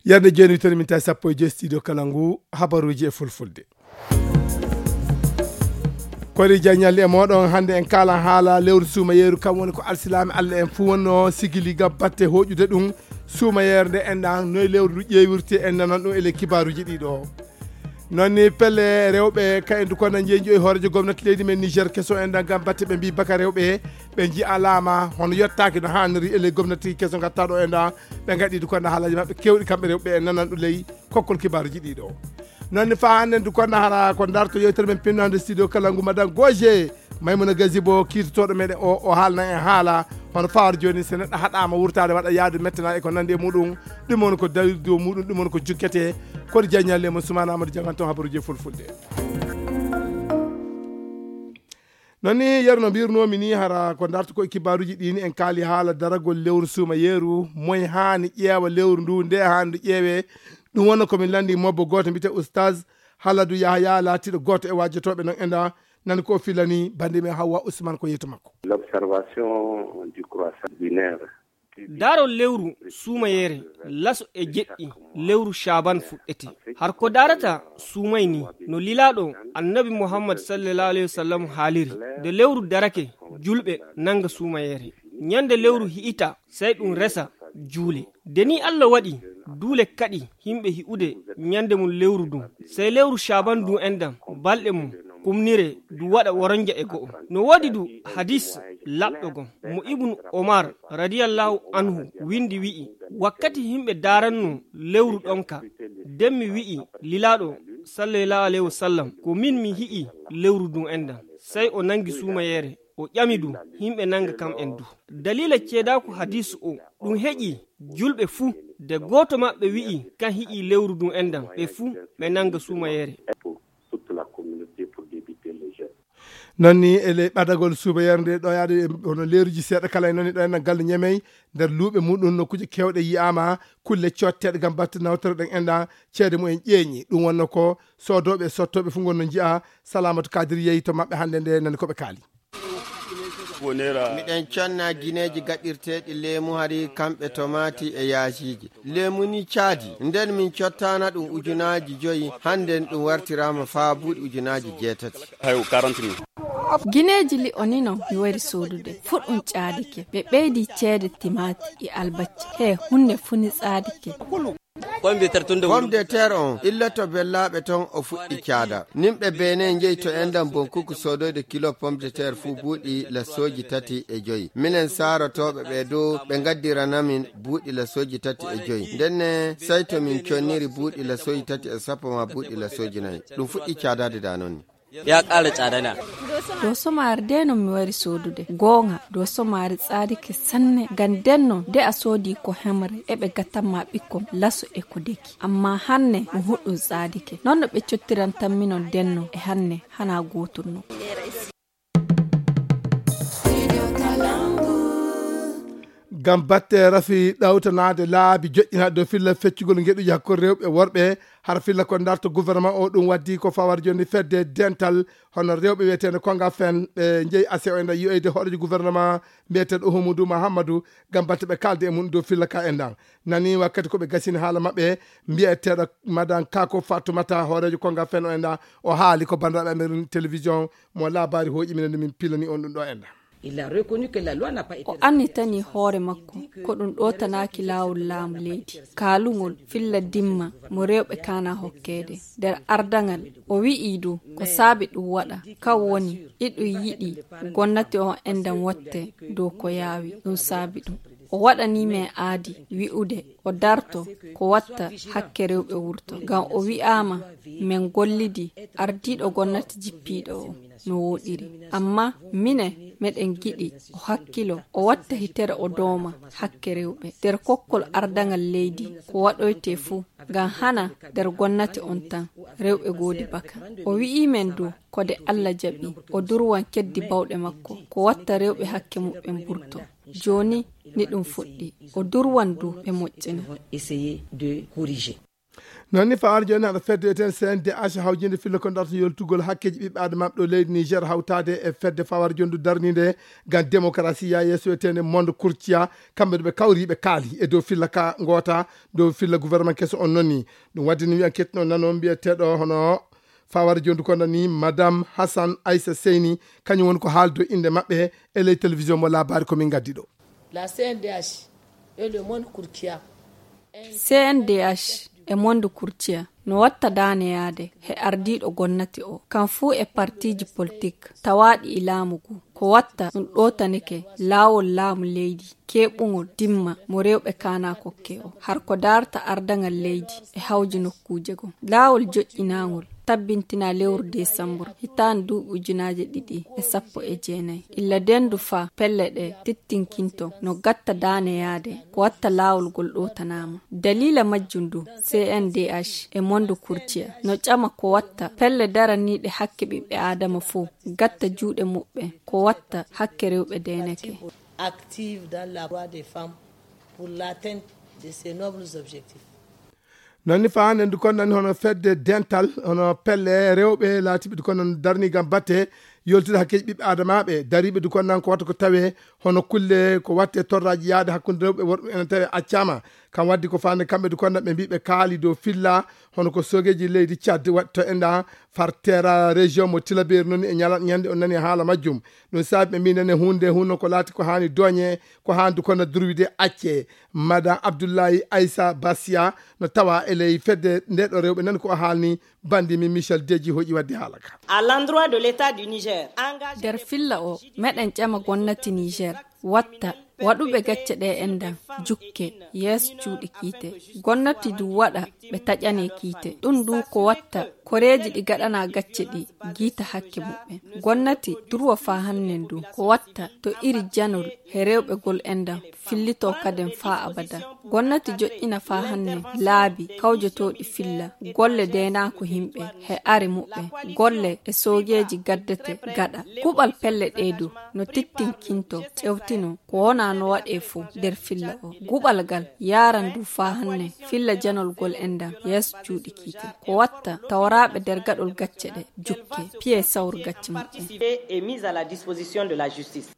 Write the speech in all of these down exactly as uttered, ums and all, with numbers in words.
Yerde jooni, wittere min tawi sappo e joy studio kala ngu, habaruuji e fulfulde. Kori jaññalli e mooɗon, hannde en kaalan haala lewru suumayeeru, kam woni ko alsilaame Allah en fuu wonnoo sigili ngam batte hooƴude ɗum suumayeere nde enɗan, noye lewru ndu ƴeewirte, en nanan ɗum e ley kibaaruuji ɗiɗo. Noon ni pelle rewɓe ka en ndu konna njeeñu e hooreejo gomnati leydi men Niger keso enɗan ngam batte ɓe mbii baka rewɓe ɓe nji'alaama hono yottaaki no haaniri e ley gomnati keso ngatta ɗo enɗan, ɓe ngaɗi ndu konna haalaaji maɓɓe keewɗi kamɓe rewɓe en nanan ɗum ley kokkol kibaaruuji ɗiɗo. Noon ni faa hannde ndu konna hara ko darto yewtere men pinnande studio kala ngu madan Goje Maymuna Gazibo kiitotooɗo meɗen o, o haalna en haala hono fawaade jooni, so neɗɗo haɗaama wurtaade waɗa yaadu mettana e ko nandi e muɗum, ɗum woni ko dawi dow muɗum, ɗum woni ko jukkete. Kori jaññalli e mon Sumaana Amadou Jangan toon habaruuji e fulfulde. Noon ni yeru no mbirnoomi ni hara ko darto ko e kibaaruuji ɗi ni en kaali haala daragol lewru suumayeeru, moy haani ƴeewa lewru ndu, nde haani ndu ƴeewe. Ɗum wonno ko min lanndi mobbo gooto mbiyetee Oustaz Haladu Yahaya laatiiɗo gooto e waajotooɓe noon enɗan, nan ko o filani bannde men Hawwa Ousmane ko yeetu makko. L'observation du croissant lunaire. Daarol lewru suumayeere laso e jeɗɗi lewru Shaaban fuɗɗete. Har ko daarata suumay ni no lilaaɗo Annabi Muhammad sallallahu alayhi wa sallam haaliri, nde lewru darake, julɓe nanga suumayeere. Ñande lewru hi'ita, sey ɗum resa juule. Nde ni Allah waɗi duule kaɗi himɓe hi'ude ñande mum lewru ndun, sey lewru Shaaban ndun enɗan, balɗe mum kumnire ndu waɗa woronja e go'o. No woodi du hadis laɓɗo gon mo Ibnu Omar radiyallahu anhu windi wi'i, wakkati himɓe daaranno lewru ɗon ka, nden mi wi'i lilaaɗo sallallahu alayhi wa sallam, ko min mi hi'i lewru ndun enɗan. Sey o nangi suumayeere, o ƴami du himɓe nanga kam en du. Daliila ceedaaku hadiisu o, ɗum heƴi julɓe fuu, de gooto maɓɓe wi'i kan hi'i lewru ndun enɗan, ɓe fuu ɓe nanga suumayeere. Toute la communauté pour débiter le jeûne. Noon ni e ley ɓadagol suumayeere nde ɗo yaade hono leeruuji seeɗa kala e noon e ɗo enɗan galle Ñemey, nder luuɓe muɗum nokkuuje keewɗe yi'aama kulle cootteeɗe ngam batte nawtere ɗen enɗan ceede mumen ƴeeñi. Ɗum wonno ko soodooɓe e sottooɓe fuu ngon no nji'a. Salamatu Kadir yehi to maɓɓe hannde nde nani ko ɓe kaali. Miɗen conna gineeji gaɗirteeɗi leemu hari kamɓe tomaati e yaasiiji. Leemu ni caadi. Nden min cottana ɗum ujunaaji joyi, hannden ɗum wartiraama faa buuɗi ujunaaji jeetati. Hayo quarante mille. Gineeji li'o ni non mi wari soodude. Fuɗɗum caadike. Ɓe ɓeydi ceede timaati e albacci. He hunde fu ni tsaadike. Pomme de terre on illoto bellaaɓe ton o fuɗɗi caada. Nimɓe Benin njeyi to enɗan bonkuku soodoyde kilo pomme de terre fuu buuɗi lasooji tati e joyi. Minen saarotooɓe ɓe dow ɓe ngaddirana min buuɗi lasooji tati e joyi. Ndenne sey to min conniri buuɗi lasooji tati e sappo maa buuɗi lasooji nayi. Ɗum fuɗɗi caadaade da noon ni. Ya ƙara tsada na. Doso maari de no mi wari soodude. Goonga, doso maari tsaadike sanne. Ngam denno, de a soodi ko hemre, e ɓe gattan ma ɓikkon laso e ko deki. Amma hanne, ɗum huɗɗum tsaadike. Non no ɓe cottirantan minon denno, e hanne, hana gootum no. Ngam batte rafi ɗawtanaade laabi joƴƴinaaɗe dow filla feccugol ngeɗuuji hakkunde rewɓe e worɓe, hara filla ko darto gouvernement o, ɗum waddi ko fawar jooni fedde dental hono rewɓe wiyeteende Konga Fen, ɓe njeyi ase o ena yiyoyde hoɗojo gouvernement mbiyeteeɗo Humudu Mahammadu ngam batte ɓe kaalde e mum dow filla ka enɗan. Nani wakkati ko ɓe gasini haala maɓɓe, mbiyeteeɗo Madan Kako Fatumata, hooreejo Konga Fen o enɗan, o haali ko banndiraaɓe amen télévision mo laabaari hooƴi minen nde min pilani on ɗum ɗo enɗan. O annitani hoore makko ko ɗum ɗootanaaki laawol laamu leydi. Kaalungol filla dimma mo rewɓe kaana hokkeede nder ardaŋal. O wi'i du ko saabi ɗum waɗa, kan woni iɗum yiɗi gonnati on enɗan watte dow ko yaawi, ɗum saabi ɗum. O waɗani men aadi wi'ude o darto ko watta hakke rewɓe wurto. Ngam o wi'aama men gollidi, ardiiɗo gonnati jippiiɗo o no wooɗiri. Amma minen meɗen giɗi o hakkilo, o watta hitere o dooma hakke rewɓe. Nder kokkol ardaŋal leydi, ko waɗoyte fuu, ngam hana nder gonnati on tan, rewɓe goodi baka. O wi'i men du, ko de Alla jaɓi, o durwan keddi bawɗe makko, ko watta rewɓe hakke muɓɓen burto. Jooni ni ɗum fuɗɗi, o durwan du ɓe moƴƴina. Noon ni, fawar jooni, haɗa fedde wiyetee C N D H, hawjinde filla ko darta yoltugol hakkeeji ɓiɓɓe aadama ɗo leydi Niger, hawtaade e fedde fawar jooni darninde ngam démocratie, yaa yeeso, wiyetee Monde Courtia. Kamɓe ɗo ɓe kawri, ɓe kaali e dow filla ka ngoota, dow filla gouvernement keso on noon ni. Ɗum waɗi ni wiyan ketno nano mbiyeteeɗo hono fawar jooni ko nani Madame Hassan Aissa Seyni, kañum woni ko haaldo innde maɓɓe e ley télévision mo labari ko min ngaddi ɗo. La C N D H et le Monde Courtia. C N D H e Monde Courtia no watta daaneyaade he ardiiɗo gonnati o, kan fuu e partiiji politik tawaaɗi e laamu ngu. Ko watta ɗum ɗootanike laawol laamu leydi, keeɓungol dimma mo rewɓe kaana kokke o, har ko daarta ardaŋal leydi e hawji nokkuuje goo. Laawol joƴƴinaangol tabbintinaa lewru desambur hitaande duuɓi ujunaaje ɗiɗi e sappo e jeenayi. Illa denndu faa pelle ɗe tittinkinto no gatta daaneyaade ko watta laawol ngol ɗootanaama. Daliila majjum ndu, C N D H e Monde Courtia no ƴama ko watta pelle daraniiɗe hakke ɓiɓɓe aadama fof gatta juuɗe muɓɓen ko watta hakke rewɓe deenake. Active dans la voie des femmes pour l'atteinte de ces nobles objectifs. Noon ni, faande ndu kon nani hono fedde dental, hono pelle rewɓe laatiɓe ndu kon non darni ngam batte yoltude hakkeeji ɓiɓɓe aadamaaɓe, dariiɓe ndu kon nan ko watta ko tawee hono kulle ko watte torraaji yaade hakkunde rewɓe e worɓe ene tawee accaama. Kam waddi ko faande kamɓe ndu kon nan ɓe mbii ɓe kaali dow filla hono ko soogeeji leydi Tchad waɗto e nda far teera région mo Tilaberi noon e ñala-, ñande on nani haala majjum. Ɗum saabi ɓe mbii nane huunde hunno ko laati ko haani dooñe, ko haani ndu kon nan durwide acce. Madame Abdoulaye Aissa Bassia no tawa e ley fedde nde ɗo rewɓe nan ko o haalni bandi min Michel Deji hoƴi wadde haala ka. À l'endroit de l'État du Niger, engagé nder filla o, meɗen ƴama gonnati Niger watta waɗuɓe gacce ɗe enɗan jukke yeeso cuuɗi kiite. Gonnati du waɗa ɓe taƴane kiite. Ɗum du ko watta koreeji ɗi gaɗana gacce ɗi giita hakke muɓɓen. Gonnati durwa faa hannen du ko watta to iri janol he rewɓe gol enɗan fillito kaden faa abada. Gonnati joƴƴina faa hanne laabi kawjotooɗi filla golle deenaaku himɓe he are muɓɓen, golle e soogeeji gaddete gaɗa. Kuɓal pelle ɗee du no tittinkinto, ƴewtino ko wonaa no waɗee fof nder filla o. Guɓal gal yaaran du faa hanne filla janol gol enɗan yeeso cuuɗi kiite. Ko watta tawraaɓe nder gaɗol gacce ɗe jukke, piye sawru gacce muɓɓen. Participer et mise à la disposition de la justice.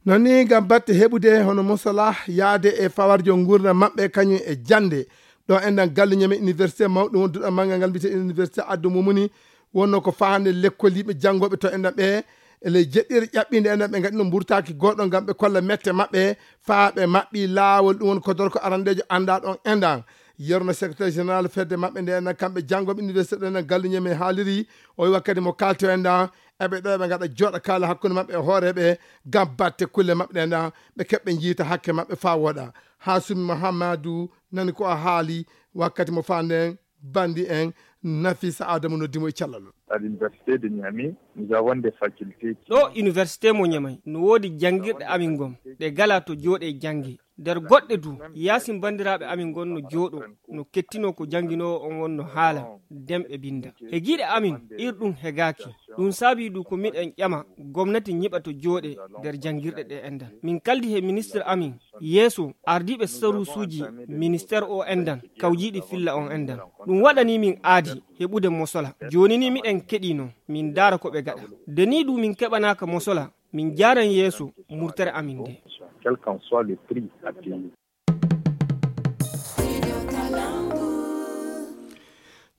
Noon ni, ngam batte heɓude hono mosola yaade e fawarjo nguurndam maɓɓe kañum e jannde. Ɗo enɗan galluñe men université mawɗo wonduɗo manngal ngal mbiyetee université Addo Mumuni, wonno ko faande lekkol yiɓe janngooɓe to enɗan ɓe e ley jeɗɗire ƴaɓɓinde enɗan ɓe ngaɗino mburtaaki gooɗo ngam ɓe kolla mette maɓɓe faa ɓe maɓɓi laawol. Ɗum woni ko dorko arandeejo anndaa ɗon enɗan. Yerno secrétaire général fedde maɓɓe nde enɗan kamɓe janngooɓe université ɗo enɗan galluñe men haaliri, o wi wakkati mo kaalto enɗan eɓe ɗo eɓe ngaɗa jooɗa kaala hakkunde maɓɓe e hooreeɓe ngam batte kulle maɓɓe ɗe enɗan ɓe keɓɓe njiita hakke maɓɓe faa wooɗa. Hasumi Muhammadu nani ko o haali wakkati mo faanden bandi en Nafisa Adamu noddi mo e cellal. À l'université de Niamey, nous avons des facultés qui ɗo université mo Ñamay no woodi janngirɗe amin gom ɗe gala to jooɗe jannge. Nder goɗɗe du, yaasin banndiraaɓe amin ngon no jooɗo, no kettinoo ko jannginoowo on won no haala, demɓe binnda. He giiɗe amin, ir ɗum hegaaki. Ɗum saabii du ko miɗen ƴama gomnati ñiɓa to jooɗe nder janngirɗe ɗe enɗan. Min kaldi he ministre amin, yeeso ardiiɓe saruusuuji ministère o enɗan, kawjiiɗi filla on enɗan. Ɗum waɗanii min aadi heɓude mosola. Jooni ni miɗen keɗiino, min ndaara ko ɓe gaɗa. Nde nii du min keɓanaaka mosola, min njaaran yeeso murtere amin nde. Quel qu'en soit le prix à payer.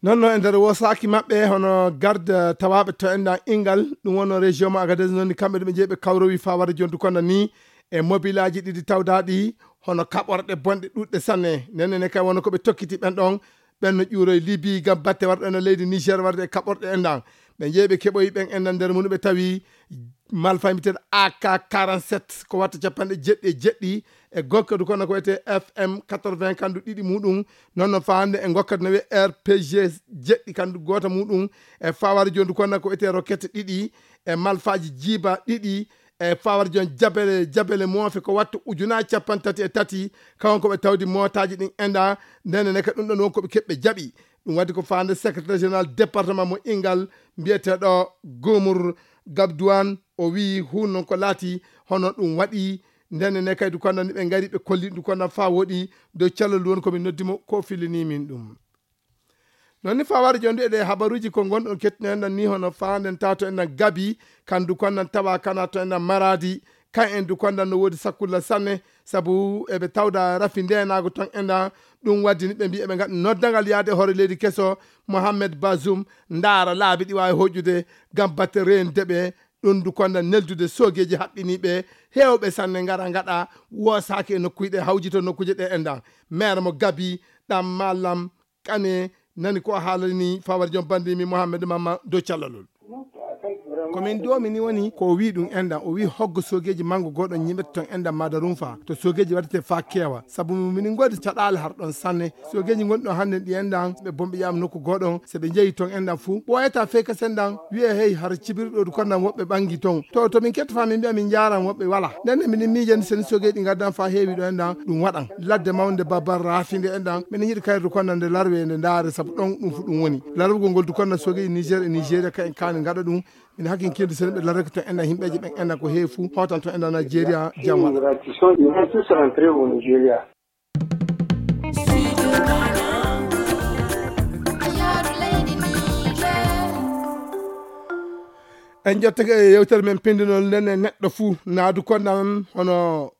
Noon no e nder wosaaki maɓɓe hono garde tawaaɓe to enɗan Ingal, ɗum wonno région mo Agadez, noon ni kamɓe ɗo ɓe njeeyi ɓe kawrowi faa wara jontu kono ni e mobilaaji ɗiɗi tawdaaɗi hono kaɓorɗe bonɗe ɗuɗɗe sanne. Nene ne kay wonno ko ɓe tokkiti ɓen ɗon, ɓen no ƴuuroy Libi ngam batte warɗo ene leydi Niger warde e kaɓorɗe enɗan. Ɓe njeeyi ɓe keɓoyi ɓen enɗan nder mum ɓe tawi malfa mbiteɗo A K quarante-sept ko watta capanɗe jeɗɗi e jeɗɗi e gokkadu kono ko wiyetee F M quatre-vingts kandu ɗiɗi muɗum. Noon no faande e gokkadu no wiyee R P G jeɗɗi kandu goota muɗum e fawari jondu kono ko wiyetee roquette ɗiɗi e malfaji jiiba ɗiɗi e fawari jon jabele, jabele moofe ko watta ujunaaji capanɗe tati e tati. Kawon ko ɓe tawdi mootaji ɗin enɗan. Ndene ne ka ɗum ɗon won ko ɓe keɓɓe jaɓi. Ɗum waɗi ko faande secrétaire général département mo Ingal mbiyeteeɗo Gomur Gabdouane. O wiyi hun noon ko laati hono ɗum waɗi. Ndene ne kay du kono ɓe ngari ɓe kolli ɗum kono faa woɗi dow calal woni ko min noddi mo ko fillini min ɗum. Non ni fawar jondu e ɗe habaruji ko ngonɗon kettuno enɗan ni hono fanden tato enɗan gabi, kandu konnan tawa kana to enɗan maradi, kan en du konnan no wodi sakkulla sanne, sabu eɓe tawda rafi ndenago ton enɗan. Ɗum waddi ni ɓe mbi eɓe ngaɗa noddangal yaade hoore leydi keso Mohamed Bazoum, ndaara laabi ɗi waawi hoƴƴude ngam batte reendeɓe. Ɗum du konnan neldude soogeeji haɓɓiniiɓe heewɓe sanne ngara ngaɗa woosaaki e nokkuuji ɗe hawjito nokkuuje ɗe enɗan. Maire mo gabi ɗam malam kane nani ko haalani fawar jom bandimi Mohamed Mamma dow callalol. Ko min domi ni woni ko wi ɗum enɗan, o wi hoggo soogeeji mango goɗon ñiɓete ton enɗan madarunfa to soogeeji waɗete fa keewa, sabu minin ngoodi caɗaale har ɗon sanne. Soogeeji ngonɗon hannde ɗi enɗan ɓe bomɓe ƴaam nokku goɗon, so ɓe njeyi ton enɗan fuu ɓooyata fey kasen ɗan wiye hey har cibirɗo du konnan woɓɓe ɓangi ton to to min ketta fa min mbiya min njaran woɓɓe wala. Nden ne minin miijani seni soogeeji ɗi ngaddan fa heewi ɗo enɗan ɗum waɗan ladde mawnde babbar raafinde enɗan minin yiɗi kayrude konnan nde larwe nde ndaare, sabu ɗon ɗum fu ɗum woni larugol ngol du konnan soogeeji Niger e Nigeria ka en kaani ngaɗa ɗum. Min hakkinkinde sen ɓe larreke to enɗan himɓeji ɓen enɗan ko heewi fu hootan to enɗan Nigeria. Jam waɗa. En jottake e yewtere men pindinol nden e neɗɗo fuu naadu konnan hono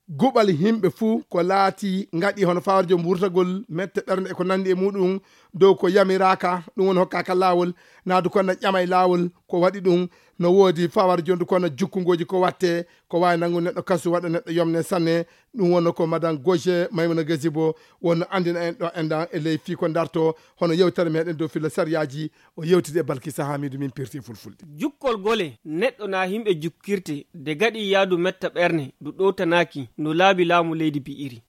guɓal himɓe fuu ko laati ngaɗi hono fawarjo wurtagol mette ɓernde e ko nandi e muɗum dow ko yamiraka ɗum woni hokkaka lawol. Naadu konnan ƴama e lawol ko waɗi ɗum. No woodi fawar jondu konnan jukkungoji ko watte ko wawi nangu neɗɗo kasu waɗa neɗɗo yomne sanne. Ɗum wonno ko madan goje maymuna gasibo wonno andina en ɗo enɗan e ley fii ko darto hono yewtere meɗen dow filla sariyaji. O yewtidi e balkisa hamidu min pirti fulfulde. Jukkol gole neɗɗo na himɓe jukkirte de gaɗi yaadu metta ɓerne ndu ɗowtanaaki no laabi laamu leydi bi'iri.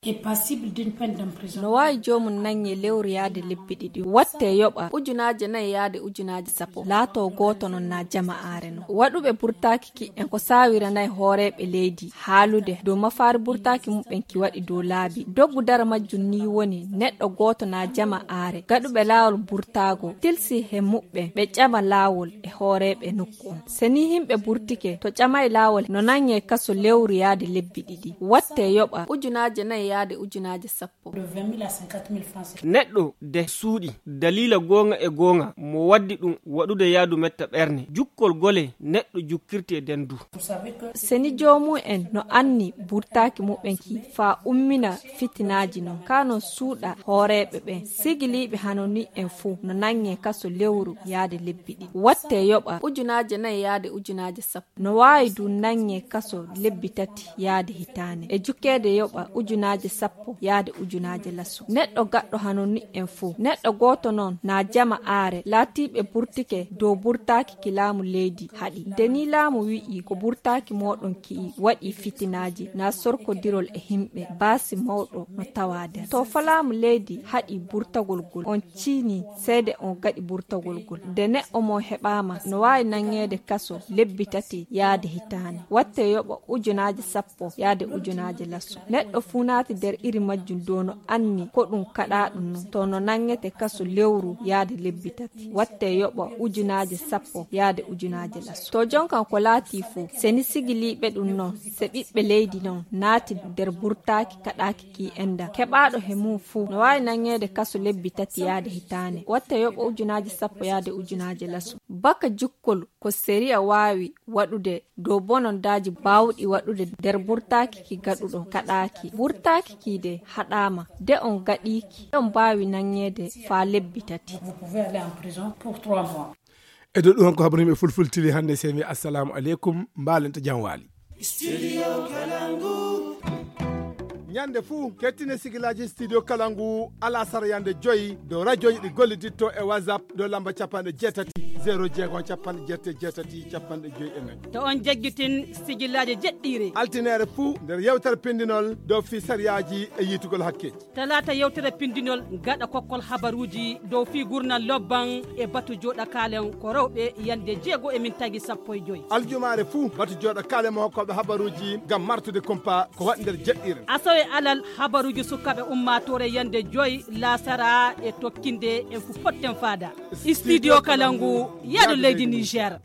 No waawi joomum naŋŋe lewru yaade lebbi ɗiɗi watte yoɓa ujunaaje nayi yaade ujunaaje sappo laato gooto non na jama aare non waɗuɓe burtaaki ki en ko saawiranay hooreeɓe leydi haalude dow mafaari burtaaki muɓɓen ki waɗi dow laabi doggu dara majjum ni woni neɗɗo gooto na jama aare gaɗuɓe laawol burtaago tilsi he muɓɓen ɓe ƴama laawol e hooreeɓe nokku on. Se ni himɓe burtike to ƴamay laawol no naŋŋe kaso lewru yaade lebbi ɗiɗi watte yoɓa ujunaaje nayi yaade ujunaaje sappo. Neɗɗo de suuɗi daliila goonga e goonga mo waddi ɗum waɗude yaadu metta ɓerne jukkol gole neɗɗo jukkirte den du. Seni joomum en no anni burtaaki muɓɓen ki faa ummina fitinaaji non kaa non suuɗa hooreeɓe ɓen sigiliiɓe hano ni en fuu no naŋŋe kaso lewru yaade lebbi ɗiɗi watte yoɓa ujunaaje nayi yaade ujunaaje sappo. No waawi du naŋŋe kaso lebbi tati yaade hitaande e jukkeede yoɓa ujunaaje sappo yaade ujunaaje laso neɗɗo gaɗɗo hano ni en fuu neɗɗo gooto non na jama aare laatiiɓe burtike dow burtaaki ki laamu leydi haɗi nde ni laamu wi'i ko burtaaki mooɗon ki'i waɗi fitinaaji na sorkodirol e himɓe baasi mawɗo no tawa nder to fo laamu leydi haɗi burtagol gol on ciini seede on gaɗi burtagol gol nde neɗɗo mo heɓaama no waawi naŋŋeede kaso lebbi tati yaade hitaande watte yoɓa ujunaaje sappo yaade ujunaaje laso neɗɗo fuu naati nder iri majjum dow no anni ko ɗum kaɗaaɗum non to no naŋŋete kaso lewru yaade lebbi tati watte yoɓa ujunaaje sappo yaade ujunaaje laso to jonkan ko laatii fuu seni sigiliiɓe ɗum non se ɓiɓɓe leydi non naati nder burtaaki kaɗaaki ki enɗan keɓaaɗo he mum fuu no waawi naŋŋeede kaso lebbi tati yaade hitaande watte yoɓa ujunaaje sappo yaade ujunaaje laso baka jukkol ko sariya waawi waɗude dow bonondaaji baawɗi waɗude nder burtaaki ki gaɗuɗo kaɗaaki burtaaki ki de haɗaama de on gaɗiiki de on mbaawi naŋŋeede faa lebbi tati. E dow ɗum ko habaru yimɓe fulfultiri hannde semi assalamu aleykum mbaalenta jam waali. Ñande fuu kettine sigilaji studio kala ngu alasara yande joyi dow radioji ɗi golliditto e whatsapp dow lamba capanɗe jeetati zéro jeego capanɗe jeetati jeetati capanɗe joyi e nayi. To on jeggitin sigilaji jeɗɗiire altinere fuu nder yewtere pindinol dow fii sariyaji e yiitugol hakkeji. Talaata yewtere pindinol gaɗa kokkol habaruuji dow fii gurnal lobban e batu jooɗa kaalen ko rewɓe yande jeego e min tagi sappo e joyi. Aljumaare fuu batu jooɗa kaalen mo hokkooɓe habaruuji ngam martude kumpa ko waɗi nder jeɗɗiren. Asawe alal habaruuji sukaaɓe ummaatoore yande joyi laasara e tokkinde en fu potten faada. Studio kala ngu yaado leydi Niger.